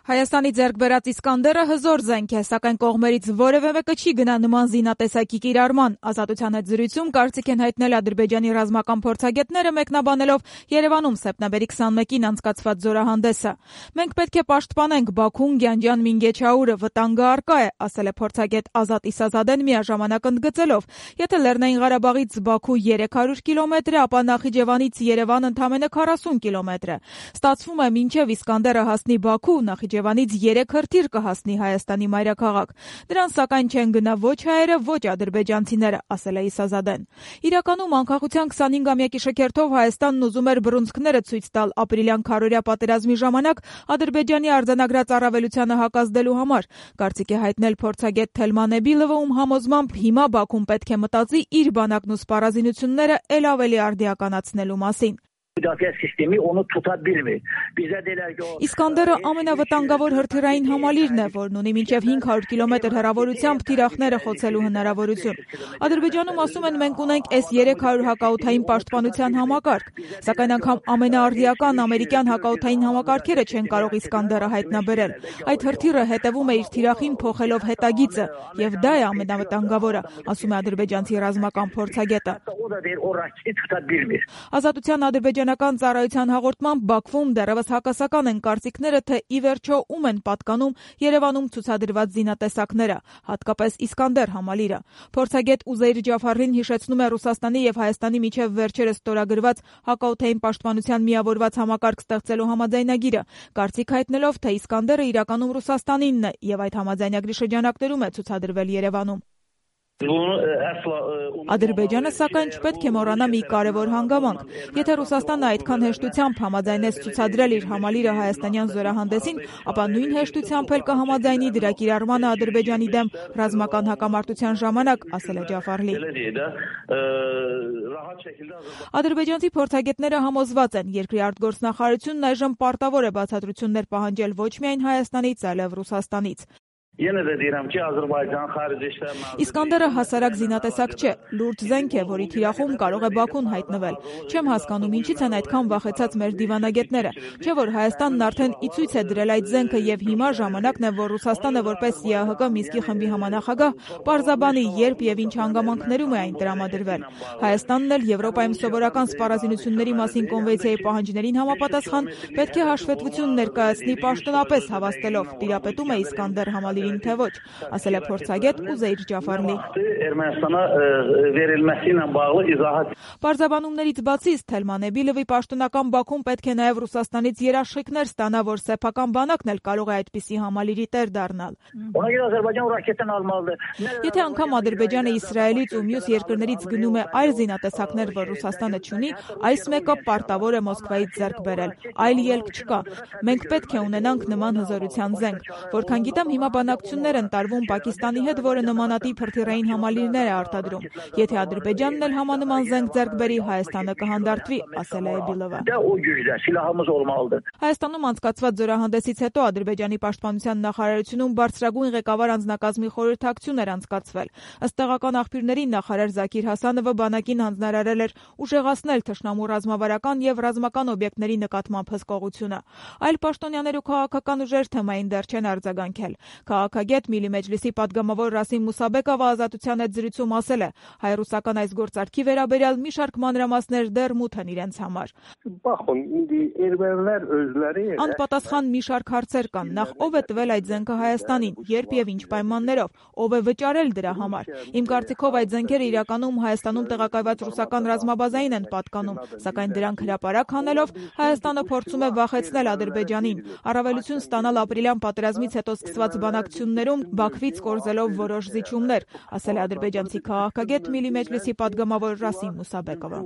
Հայաստանի ձեռք բերած Իսկանդերը հզոր զենք է, սակայն կողմերից որևէ մեկը չի գնա նման զինատեսակի կիրառման։ Ազատության հետ զրույցում կարծիք են հայտնել Ադրբեջանի ռազմական փորձագետները, մեկնաբանելով Երևանում սեպտեմբերի 21-ին անցկացված զորահանդեսը։ Մենք պետք է պաշտպանենք Բաքուն, Գյանջան, Մինգեչաուրը, վտանգը առկա է, ասել է փորձագետ Ազատ Իսազադեն միաժամանակ ընդգծելով. եթե Լեռնային Ղարաբաղից Բաքու 300 կիլոմետր է, ապա Նախիջևանից Երևան ընդամենը 40 կիլոմետր է։ Ստացվում է մինչև Իսկանդերը հասնի Բաքու, Նախիջևանից 3 հրթիռ կհասնի Հայաստանի մայրաքաղաք։ Դրան սակայն չեն գնա ոչ հայերը, ոչ ադրբեջանցիները, ասել է Իսազադեն։ Իրականում անկախության 25-ամյակի շքերթով Հայաստանն ուզում էր բռունցքները ցույց տալ ապրիլյան քարորյա պատերազմի ժամանակ Ադրբեջանի արձանագրած առավելությանը հակազդելու համար։ Կարծիք է հայտնել փորձագետ Թելման Էբիլովը, ում համոզմամբ հիմա Բաքուն պետք է մտածի իր բանակն ու սպառազինությունները ել ավելի արդիականացնելու մասին։ Իսկանդերը ամենավտանգավոր հրթիռային համալիրն է, որն ունի մինչև 500 կիլոմետր հեռավորությամբ թիրախները խոցելու հնարավորություն։ Ադրբեջանում ասում են մենք ունենք S-300 հակաօդային պաշտպանության համակարգ, սակայն անգամ ամենաարդիական ամերիկյան հակաօդային համակարգերը չեն կարող Իսկանդերը հայտնաբերել։ Այդ հրթիռը հետևում է իր թիրախին փոխելով հետագիծը, եւ դա է ամենավտանգավորը, ասում է ադրբեջանցի ռազմական փորձագետը։ Ազատության ադրբեջանական ծառայության հաղորդմամբ Բաքվում դեռևս հակասական են կարծիքները, թե ի վերջո ում են պատկանում Երևանում ցուցադրված զինատեսակները, հատկապես Իսկանդեր համալիրը։ Փորձագետ Ուզեյր Ջաֆարին հիշեցնում է Ռուսաստանի եւ Հայաստանի միջև վերջերս ստորագրված հակաօդային պաշտպանության միավորված համակարգ ստեղծելու համաձայնագիրը, կարծիք հայտնելով, թե Իսկանդերը իրականում Ռուսաստանինն է եւ այդ համաձայնագրի շրջանակներում է ցուցադրվել Երևանում։ Ադրբեջանը սակայն չպետք է մոռանա մի կարևոր հանգամանք. եթե Ռուսաստանը այդքան հեշտությամբ համաձայնեց ցուցադրել իր համալիրը հայաստանյան զորահանդեսին, ապա նույն հեշտությամբ էլ կհամաձայնի դրա կիրառմանը Ադրբեջանի դեմ ռազմական հակամարտության ժամանակ, ասել է Ջաֆարլին։ Ադրբեջանցի փորձագետները համոզված են, երկրի արտգործնախարարությունն այժմ պարտավոր է բացատրություններ պահանջել ոչ միայն Հայաստանից, այլև Ռուսաստանից։ Իսկանդերը հասարակ զինատեսակ չէ, լուրջ զենք է, որի թիրախում կարող է Բաքուն հայտնվել։ Չեմ հասկանում ինչից են այդքան վախեցած մեր դիվանագետները, չէ՞ որ Հայաստանն արդեն ի ցույց է դրել այդ զենքը եւ հիմա ժամանակն է, որ Ռուսաստանը որպես ԵԱՀԿ Մինսկի խմբի համանախագահ պարզաբանի երբ եւ ինչ հանգամանքներում է այն տրամադրվել։ Հայաստանն էլ Եվրոպայում սովորական սպառազինությունների մասին կոնվենցիայի պահանջներին համապատասխան պետք է հաշվետվություն ներկայացնի պաշտոնապես հավաստելով, տիրապետում է Իսկանդեր համալիրին թե ոչ, ասել է փորձագետ Ուզեյր Ջաֆարլին։ Պարզաբանումներից բացի Թելման Էբիլովի պաշտոնական Բաքուն պետք է նաև Ռուսաստանից երաշխիքներ ստանա, որ սեփական բանակն էլ կարող է այդպիսի համալիրի տեր դառնալ։ Եթե անգամ Ադրբեջանը Իսրայելից ու մյուս երկրներից գնում է այլ զինատեսակներ, որ Ռուսաստանը չունի, այս մեկը պարտավոր է Մոսկվայից ձեռք բերել։ Այլ ելք չկա։ Մենք պետք է ունենանք նման հզորության զենք, որքան գիտեմ հիմա բանակցություններ են տարվում Պակիստանի հետ, որը նմանատիպ հրթիռային համալիրներ է արտադրում։ Եթե Ադրբեջանն էլ համանման զենք ձեռք բերի, Հայաստանը կհանդարտվի, ասել է Էբիլովը։ Հայաստանում անցկացված զորահանդեսից հետո Ադրբեջանի պաշտպանության նախարարությունում բարձրագույն ղեկավար անձնակազմի խորհրդակցություն էր անցկացվել։ Ըստ տեղական աղբյուրների նախարար Զաքիր Հասանովը բանակին հանձնարարել էր ուժեղացնել թշնամու ռազմավարական եւ ռազմական օբյեկտների նկատմամբ հսկողությունը։ Այլ պաշտոնյաներ ու քաղաքական ուժեր թեմային դեռ չեն արձագանքել։ Քաղաքագետ Միլի Մեջլիսի падգամավոր Ռասիմ Մուսաբեկովը Ազատության հետ զրույցում ասել է. հայ-ռուսական այս գործարքի վերաբերյալ մի շարք մանրամասներ դեռ մութ են իրենց համար։ Անպատասխան մի շարք հարցեր կան. նախ ով է տվել այդ զենքը Հայաստանին, երբ եւ ինչ պայմաններով, ով է վճարել դրա համար։ Իմ կարծիքով այդ զենքերը իրականում Հայաստանում տեղակայված ռուսական ռազմաբազային են պատկանում, սակայն դրանք հրապարակ հանելով Հայաստանը փորձում է վախեցնել Ադրբեջանին, առավելություն ստանալ ապրիլյան պատերազմից հետո սկսված բանակցություններում Բաքվից կորզելով որոշ զիջումներ, ասել է ադրբեջանցի քաղաքագետ Միլի Մեջլիսի падգամավոր Ռասիմ Մուսաբեկովը։